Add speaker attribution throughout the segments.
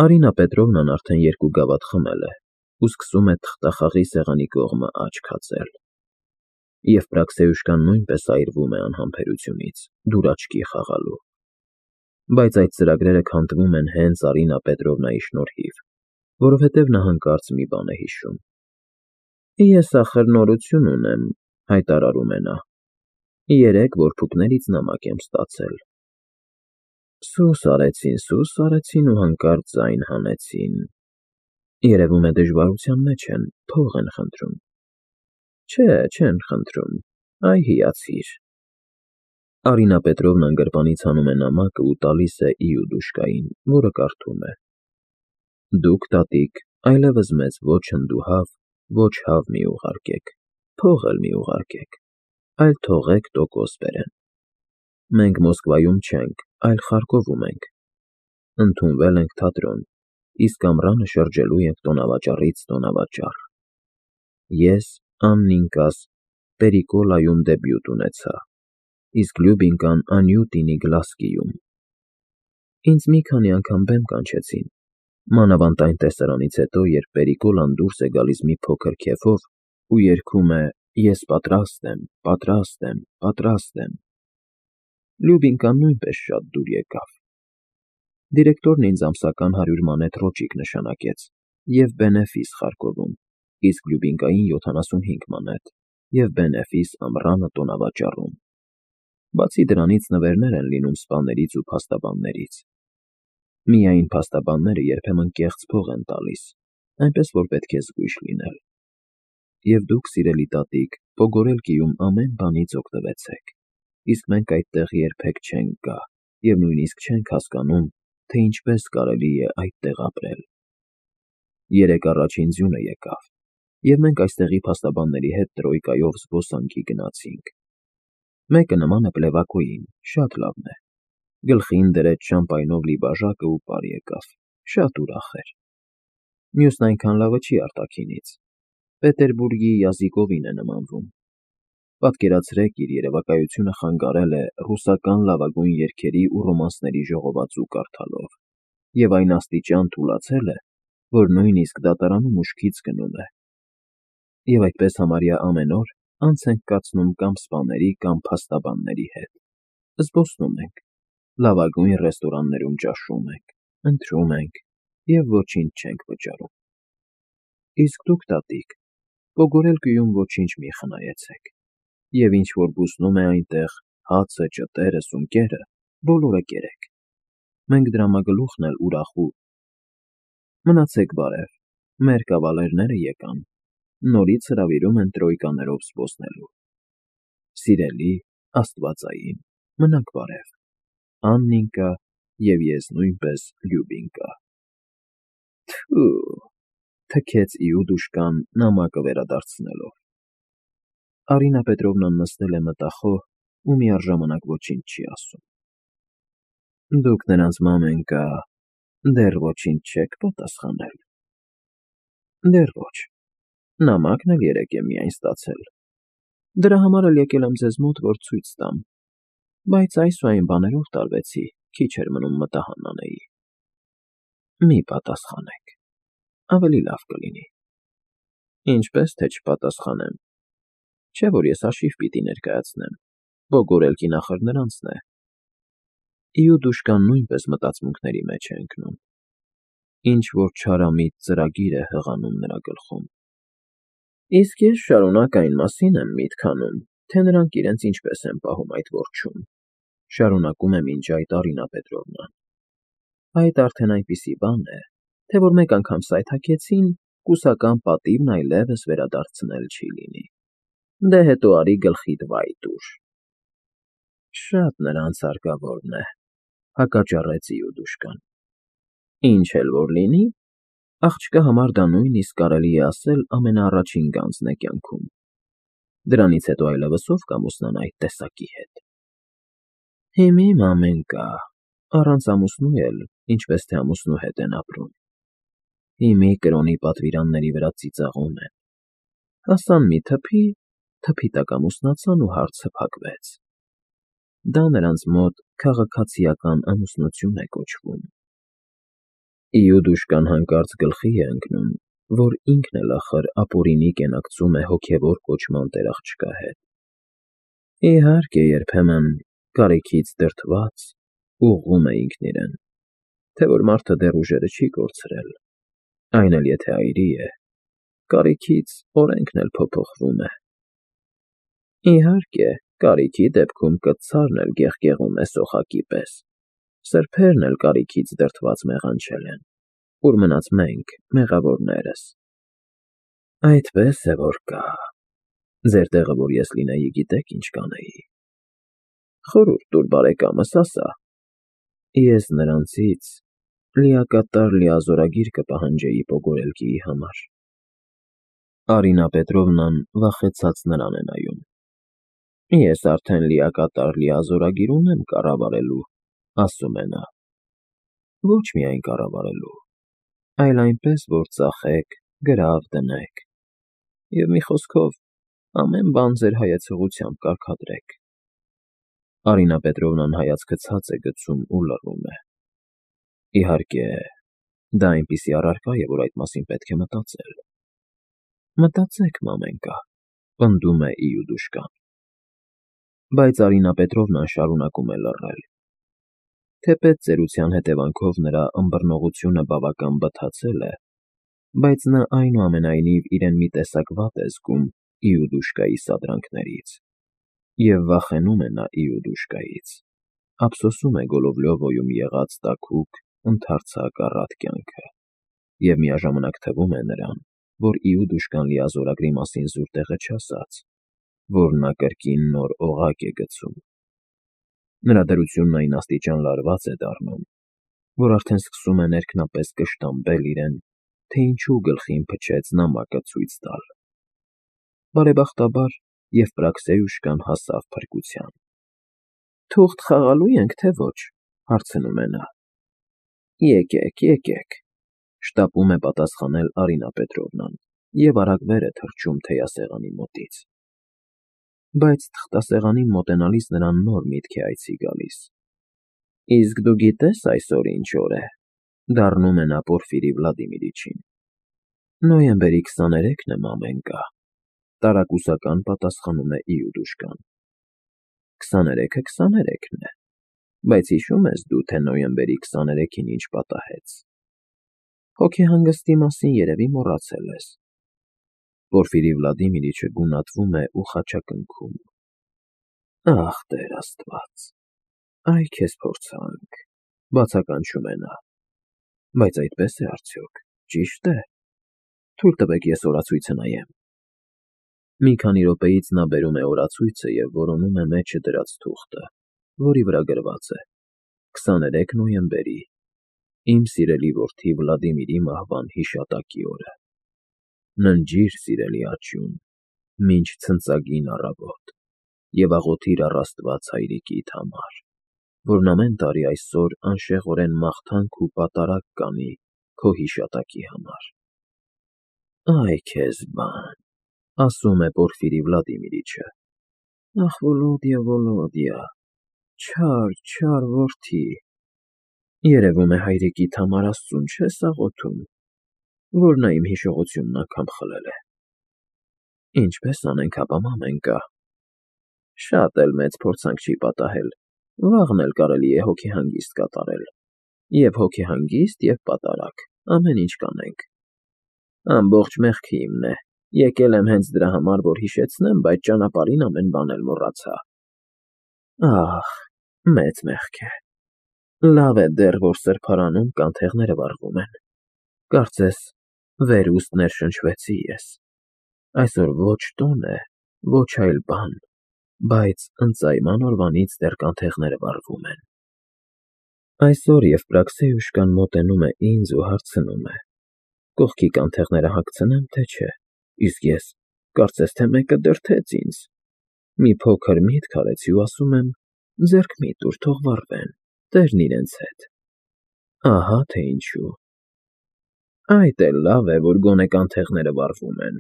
Speaker 1: Արինա Պետրովնան արդեն երկու գավաթ խմել է ու սկսում է թղթախաղի սեղանի կողմը աչք հացել։ Եվպրաքսեյուշկան նույնպես այրվում է անհամբերությունից, դուր աչքի խաղալու։ Բայց այդ ծրագրերը քանդվում են հենց Արինա Պետրովնայի շնորհիվ, որովհետև նա հանկարծ մի բան է հիշում։ Ես ախր նորություն ունեմ, հայտարարում է նա։ Երեք որփուկներից նամակ եմ ստացել։ Սուս արեցին ու հանկարծ ձայն հանեցին։ Երևում է դժվարության մեջ են, փող են խնդրում։ Չէ, չեն խնդրում, այ հիացիր։ Արինա Պետրովնան գրպանից հանում է նամակը ու տալիս է Իուդուշկային, որը կարդում է. Դուք, տատիկ, այլևս մեզ ոչ հնդուհավ, ոչ հավ մի ուղարկեք, փող էլ մի ուղարկեք, այլ թողեք տոկոս բերեն։ Մենք Մոսկվայում չենք, այլ Խարկովում ենք։ Ընդունվել ենք թատրոն, իսկ ամռանը շրջելու ենք տոնավաճառից տոնավաճառ։ Ես, Աննինկաս, Պերիկոլայում դեբյուտ ունեցա, իսկ Լյուբինկան Անյուտինի Գլասկիում։ Ինձ մի քանի անգամ բեմ կանչեցին, մանավանդ այն տեսարանից հետո, երբ Պերիկոլան դուրս է գալիս մի փոքր քեֆով ու երգում է «Ես պատրաստ եմ, պատրաստ եմ, պատրաստ եմ»։ Լյուբինկան նույնպես շատ դուր եկավ։ Դիրեկտորն ինձ ամսական 100 մանեթ ռոճիկ նշանակեց և բենեֆիս Խարկովում, իսկ Լյուբինկային 75 մանեթ և բենեֆիս ամռանը տոնավաճառում։ Բացի դրանից նվերներ են լինում սպաներից ու փաստաբաններից։ Միայն փաստաբանները երբեմն կեղծ փող են տալիս, այնպես որ պետք է զգույշ լինել։ Եվ դուք, սիրելի տատիկ, Պոգորելկիում ամեն բանից օգտվեցեք, իսկ մենք այդտեղ երբեք չենք գա և նույնիսկ չենք հասկանում, թե ինչպես կարելի է այդտեղ ապրել։ Երեկ առաջին ձյունը եկավ, և մենք այստեղի փաստաբանների հետ տրոյկայով զբոսանքի գնացինք։ Մեկը նման է Պլևակոյին, շատ լավն է։ Գլխին դրեց շամպայնով լի բաժակը ու պար եկավ, շատ ուրախ էր։ Մյուսն այնքան լավը չի արտաքինից, Պետերբուրգի Յազիկովին է նմանվում։ Պատկերացրեք, իր երևակայությունը խանգարել է ռուսական լավագույն երգերի ու ռոմանսների ժողովածու կարդալով, և այն աստիճան թուլացել է, որ նույնիսկ դատարանում ուշքից գնում է։ Եվ այդպես համարյա ամեն օր անց ենք կացնում կամ սպաների, կամ փաստաբանների հետ, զբոսնում ենք, լավագույն ռեստորաններում ճաշում ենք, ընթրում ենք և ոչինչ չենք վճարում։ Իսկ դուք, տատիկ, Պոգորելկիում ոչինչ մի խնայեցեք, և ինչ որ բուսնում է այնտեղ, հացը, ճտերը, սունկերը, բոլորը կերեք։ Մենք դրամագլուխն էլ ուրախ ու… Մնացեք բարև, մեր կավալերները եկան, նորից հրավիրում են տրոյկաներով զբոսնելու։ Սիրելի, աստվածային, մնաք բարև, Աննինկա և ես նույնպես Լյուբինկա։ Թը՜ւ, թքեց Իուդուշկան նամակը վերադարձնելով։ Արինա Պետրովնան նստել է մտախոհ ու միառժամանակ ոչինչ չի ասում։ Դուք նրանց մամենկա դեռ ոչինչ չեք պատասխանել։ Դեռ ոչ, նամակն էլ երեկ եմ միայն ստացել։ Դրա համար էլ եկել եմ ձեզ մոտ, որ ցույց տամ, բայց այս ու այն բաներով տարվեցի, քիչ էր մնում մտահան անեի։ Մի պատասխանեք, ավելի լավ կլինի։ Ինչպես թե չպատասխանեմ։ Չէ՞ որ ես հաշիվ պիտի ներկայացնեմ, Պոգորելկին ախր նրանցն է։ Իուդուշկան նույնպես մտածմունքների մեջ է ընկնում։ Ինչ֊որ չարամիտ ծրագիր է հղանում նրա գլխում։ Իսկ ես շարունակ այն մասին եմ միտք անում, թե նրանք իրենց ինչպես են պահում այդ որջում, շարունակում է մինչ այդ Արինա Պետրովնան։ Այդ արդեն այնպիսի բան է, թե որ մեկ անգամ սայթաքեցին, կուսական պատիվն այլևս վերադարձնել չի լինի։ Դե հետո արի գլխիդ վայ տուր։ Շատ նրանց հարկավորն է, հակաճառեց Իուդուշկան։ Ինչ էլ որ լինի, աղջկա համար դա նույնիսկ կարելի է ասել ամենաառաջին գանձն է կյանքում։ Դրանից հետո այլևս ով կամուսնանա այդ տեսակի հետ։ Հիմի մամենկա, առանց ամուսնու էլ, ինչպես թե ամուսնու հետ են ապրում։ Հիմի կրոնի պատվիրանների վրա ծիծաղում են։ Հասան մի թփի, թփի տակ ամուսնացան ու հարցը փակվեց։ Դա նրանց մոտ քաղաքացիական ամուսնություն է կոչվում։ Իուդուշկան հանկարծ գլխի է ընկնում, որ ինքն էլ ախր ապօրինի կենակցում է հոգևոր կոչման տերաղջկա հետ։ Իհարկե, երբեմն, կարիքից դրդված, ուղղում է ինքն իրեն, թե որ մարդը դեռ ուժերը չի կորցրել, այն էլ եթե այրի է, կարիքից օրենքն էլ փոփոխվում է։ Իհարկե, կարիքի դեպքում կծարն էլ գեղգեղում է սոխակի պես, սրբերն էլ կարիքից դրդված մեղանչել են, ուր մնաց մենք, մեղավորներս։ Այդպես է որ կա։ Ձեր տեղը որ ես լինեի, գիտեք ինչ կանեի։ Խորհուրդ տուր բարեկամս, ասա։ Ես նրանցից լիակատար լիազորագիր կպահանջեի Պոգորելկիի համար։ Արինա Պետրովնան վախեցած նրան է նայում։ Ես արդեն լիակատար լիազորագիր ունեմ կառավարելու, ասում է նա։ Ոչ միայն կառավարելու, այլ այնպես, որ ծախեք, գրավ դնեք։ Եվ մի խոսքով, ամեն բան ձեր հայեցողությամբ կարգադրեք։ Արինա Պետրովնան հայացքը ցած է գցում ու լռում է։ Իհարկե, դա այնպիսի առարկա է, որ այդ մասին պետք է մտածել։ Մտածեք, մամենկա, պնդում է Իուդուշկան։ Բայց Արինա Պետրովնան շարունակում է լռել։ Թեպետ ծերության հետևանքով նրա ըմբռնողությունը բավական բթացել է, բայց նա այնուամենայնիվ իրեն մի տեսակ վատ է զգում Իուդուշկայի սադրանքներից։ Եվ վախենում է նա Իուդուշկայից, ափսոսում է Գոլովլյովոյում եղած տաքուկ, ընդարձակ առատ կյանքը, և միաժամանակ թվում է նրան, որ Իուդուշկան լիազորագրի մասին զուր տեղը չասաց, որ նա կրկին նոր օղակ է գցում։ Նրա դրությունն այն աստիճան լարված է դառնում, որ արդեն սկսում է ներքնապես կշտամբել իրեն, թե ինչու գլխին փչեց նամակը ցույց տալ։ Բարեբախտաբար Եվպրաքսեյուշկան հասավ փրկության։ Թուղթ խաղալու ենք, թե ոչ, հարցնում է նա։ Եկեք, եկեք, շտապում է պատասխանել Արինա Պետրովնան և արագ վեր է թռչում թեյասեղանի մոտից։ Բայց թղթասեղանին մոտենալիս նրան նոր միտք է այցի գալիս։ Իսկ դու գիտես այսօր ինչ օր է, դառնում է նա Պորֆիրի Վլադիմիրիչին։ Նոյեմբերի 23-ն է, մամենկա, տարակուսական պատասխանում է Իուդուշկան։ 23-ը 23-ն է, բայց հիշո՞ւմ ես դու, թե նոյեմբերի 23-ին ինչ պատահեց։ Հոգեհանգստի մասին երևի մոռացել ես։ Պորֆիրի Վլադիմիրիչը գունատվում է ու խաչակնքում։ Ախ, Տեր Աստված, այ քեզ փորձանք, բացականչում է նա։ Բայց այդպես է արդյոք, ճի՞շտ է։ Թույլ տվեք ես օրացույցը նայեմ։ Մի քանի րոպեից նա բերում է օրացույցը և որոնում է մեջը դրած թուղթը, որի վրա գրված է. 23 նոյեմբերի, իմ սիրելի որդի Վլադիմիրի մահվան հիշատակի օրը։ Ննջիր, սիրելի աջուն, մինչ ցնծագին առավոտ, և աղոթիր առ Աստված հայրիկիդ համար, որն ամեն տարի այսօր անշեղորեն մաղթանք ու պատարագ կանի քո հիշատակի համար։ Այ քեզ բան, ասում է Պորֆիրի Վլադիմիրիչը։ Ախ, Վոլոդիա, Վոլոդիա, չար որդի, երևում է հայրիկիդ համար Աստծուն չես աղոթում, որ նա իմ հիշողությունն անգամ խլել է։ Ինչպես անենք ապա, մամենկա։ Շատ էլ մեծ փորձանք չի պատահել, վաղն էլ կարելի է հոգեհանգիստ կատարել։ Եվ հոգեհանգիստ, և պատարագ, ամեն ինչ կանենք։ Ամբողջ մեղքը իմն է, եկել եմ հենց դրա համար, որ հիշեցնեմ, բայց ճանապարհին ամեն բան էլ մոռացա։ Ահ, մեծ մեղք է։ Լավ է դեռ, որ սրբարանում կանթեղները վառվում են։ Կարծես վերուստ ներշնչվեցի ես։ Այսօր ոչ տոն է, ոչ այլ բան, բայց ընծայման օրվանից դեռ կանթեղները վառվում են։ Այսօր Եվպրաքսեյուշկան մոտենում է ինձ ու հարցնում է. կողքի կանթեղները հագցնեմ, թե չէ, իսկ ես, կարծես թե մեկը դրդեց ինձ։ Մի փոքր միտք արեցի ու ասում եմ. ձեռք մի տուր, թող վառվեն, տերն իրենց հետ։ Ահա թե ինչու։ Այդ էլ լավ է, որ գոնե կանթեղները վառվում են։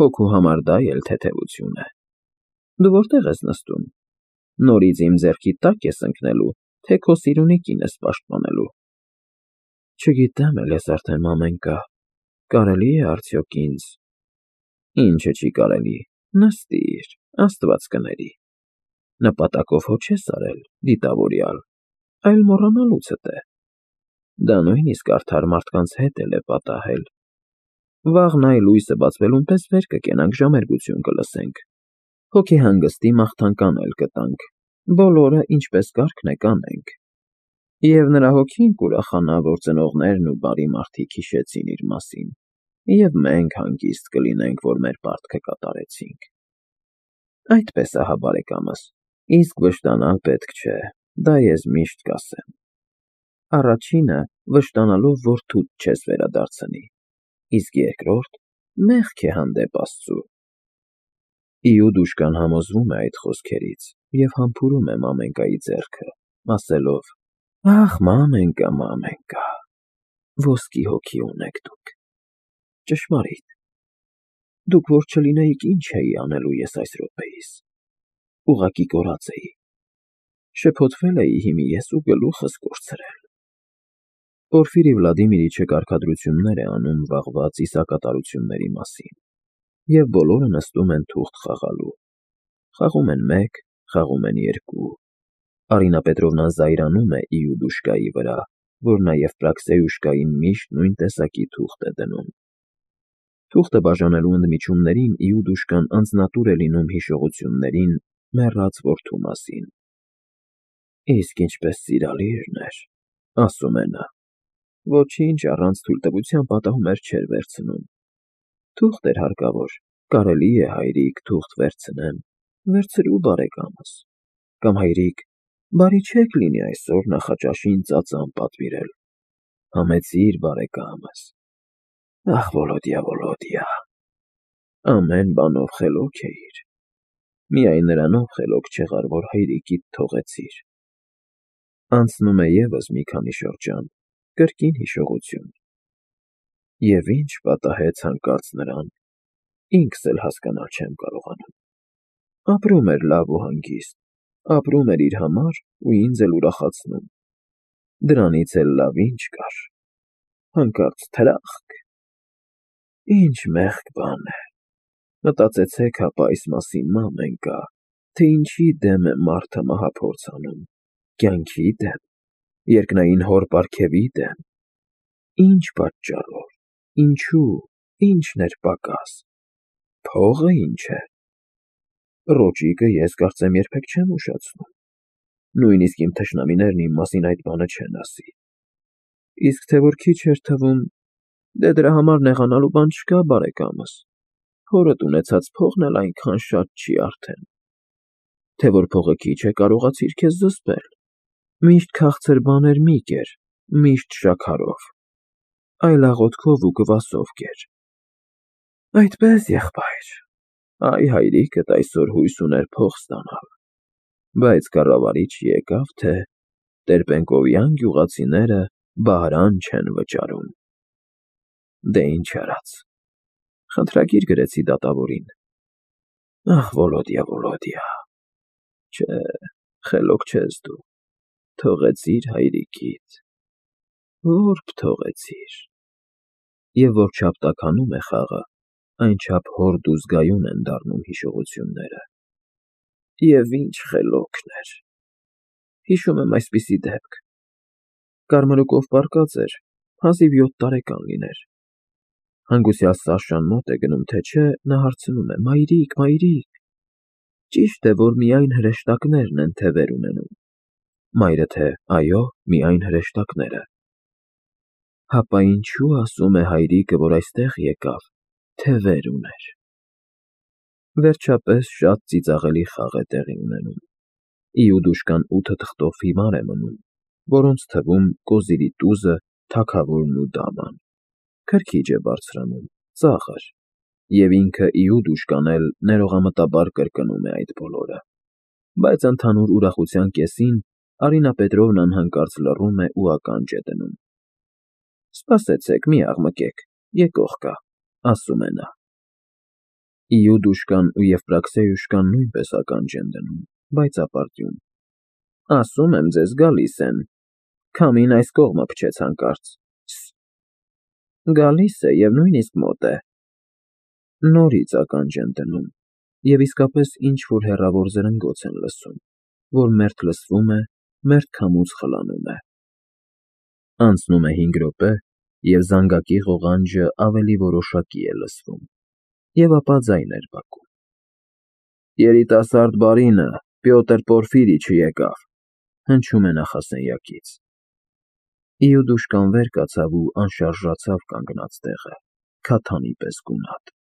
Speaker 1: Հոգու համար դա էլ թեթևություն է։ Դու որտե՞ղ ես նստում։ Նորից իմ ձեռքի տա՞կ ես ընկնելու, թե քո սիրունի կինս պաշտպանելու։ Չգիտեմ էլ ես արդեն մամենկա, կարելի է արդյոք ինձ… Ինչը չի կարելի, նստիր, Աստված կների, նպատակով հո չես արել, դիտավորյալ, այլ մոռանալուցդ է, դա նույնիսկ արդար մարդկանց հետ էլ է պատահել, վաղն այ լույսը բացվելուն պես վեր կկենանք, ժամերգություն կլսենք, հոգեհանգստի մաղթանքան էլ կտանք, բոլորը ինչպես կարգն է կանենք, և նրա հոգին կուրախանա, որ ծնողներն ու բարի մարդիկ հիշեցին իր մասին, և մենք հանգիստ կլինենք, որ մեր պարտքը կատարեցինք… Այդպես ահա, բարեկամս, իսկ վշտանալ պետք չէ, դա ես միշտ կասեմ… Առաջինը, վշտանալով որդուդ չես վերադարձնի, իսկ երկրորդ, մեղք է հանդեպ Աստծու… Իուդուշկան համոզվում է այդ խոսքերից և համբուրում է մամենկայի ձեռքը, ասելով. «Ախ, մամենկա, մամենկա, ոսկի հոգի ունեք դուք… Ճշմարիտ, դուք որ չլինեիք, ինչ էի անելու ես այս րոպեիս… Ուղղակի կորած էի, շփոթվել էի հիմի ես ու գլուխս կորցրել…» Պորֆիրի Վլադիմիրիչը կարգադրություններ է անում վաղվա ծիսակատարությունների մասին, և բոլորը նստում են թուղթ խաղալու, խաղում են մեկ, խաղում են երկու, Արինա Պետրովնան զայրանում է Իուդուշկայի վրա, որ նա Եվպրաքսիուշկային միշտ նույն տեսակի թուղթ է դնում… Թուղթը բաժանելու ընդմիջումներին Իուդուշկան անձնատուր է լինում հիշողություններին մեռած որդու մասին. «Իսկ ինչպես սիրալիրն էր,֊ ասում է նա,֊ ոչինչ առանց թույլտվության պատահումներ չէր վերցնում… Թուղթ էր հարկավոր, կարելի է, հայրիկ, թուղթ վերցնեմ, վերցրու, բարեկամս, կամ հայրիկ, բարի չէք լինի այսօր նախաճաշին ծածան պատվիրել, համեցիր, բարեկամս… Ախ, Վոլոդյա, Վոլոդյա… Ամեն բանով խելոք էիր, միայն նրանով խելոք չեղար, որ հայրիկիդ թողեցիր…» Անցնում է ևս մի քանի շրջան, կրկին հիշողություն… Եվ ինչ պատահեց հանկարծ նրան, ինքս էլ հասկանալ չեմ կարողանում… Ապրում էր լավ ու հանգիստ, ապրում էր իր համար ու ինձ էլ ուրախացնում… Դրանից էլ լավ ի՞նչ կար… Հանկարծ թրախկ… Ինչ մեղք բան է… Մտածեցեք հապա այս մասին, մամենկա, թե ինչի դեմ է մարդը մահափորձ անում, կյանքի դե՞մ, երկնային հոր պարգևի դե՞մ… Ինչ պատճառով, ինչու, ի՞նչն էր պակաս… Փողը ի՞նչ է… Ռոճիկը ես կարծեմ երբեք չեմ ուշացնում, նույնիսկ իմ թշնամիներն իմ մասին այդ բանը չեն ասի… Իսկ թե որ քիչ էր թվում… Դե դրա համար նեղանալու բան չկա, բարեկամս, հորդ ունեցած փողն էլ այնքան շատ չի արդեն… Թե որ փողը քիչ է, կարողացիր քեզ զսպել… Միշտ քաղցր բաներ մի կեր, միշտ շաքարով, այլ աղոթքով ու կվասով կեր… Այդպես, եղբայր… Այ հայրիկդ այսօր հույս ուներ փող ստանալ, բայց կառավարիչ եկավ, թե Տեր֊Պենկովյան գյուղացիները բահրան չեն վճարում… Դե ինչ արած, խնդրագիր գրեցի դատավորին… Ախ, Վոլոդյա, Վոլոդյա… Չէ, խելոք չես դու… Թողեցիր հայրիկիդ… Որբ թողեցիր… Եվ որչափ տաքանում է խաղը, այնչափ հորդ ու զգայուն են դառնում հիշողությունները… Եվ ինչ խելոքն էր… Հիշում եմ այսպիսի դեպք… Կարմրուկով պառկած էր, հազիվ 7 տարեկան լիներ… Հանգուցյալ Սաշան մոտ է գնում, թե չէ, նա հարցնում է. «Մայրիկ, մայրիկ, ճի՞շտ է, որ միայն հրեշտակներն են թևեր ունենում»… Մայրը, թե այո, միայն հրեշտակները… Հապա ինչու ասում է հայրիկը, որ այստեղ եկավ, թևեր ուներ… Վերջապես շատ ծիծաղելի խաղ է տեղի ունենում… Իուդուշկան 8 թղթով հիմար է մնում, որոնց թվում կոզիրի տուզը, թագավորն ու դաման… Քրքիջ է բարձրանում, ծաղր, և ինքը Իուդուշկան էլ ներողամտաբար կրկնում է այդ բոլորը… Բայց ընդհանուր ուրախության կեսին Արինա Պետրովնան հանկարծ լռում է ու ականջ է դնում… Սպասեցեք, մի աղմկեք, եկող կա, ասում է նա… Իուդուշկան ու Եվպրաքսիուշկան նույնպես ականջ են դնում, բայց ապարդյուն… Ասում եմ ձեզ, գալիս են… Քամին այս կողմը փչեց հանկարծ, Գալիս է և նույնիսկ մոտ է։ Նորից ականջ են դնում, և իսկապես ինչ֊որ հեռավոր զրնգոց են լսում, որ մերթ լսվում է, մերթ քամուց խլանում է։ Անցնում է 5 րոպե, և զանգակի ղողանջը ավելի որոշակի է լսվում, և ապա ձայներ բակում. «Երիտասարդ բարինը՝ Պյոտր Պորֆիրիչը եկավ», ֊ հնչում է նախասենյակից։ Իուդուշկան վեր կացավ ու անշարժացավ կանգնած տեղը, քաթանի պես գունատ։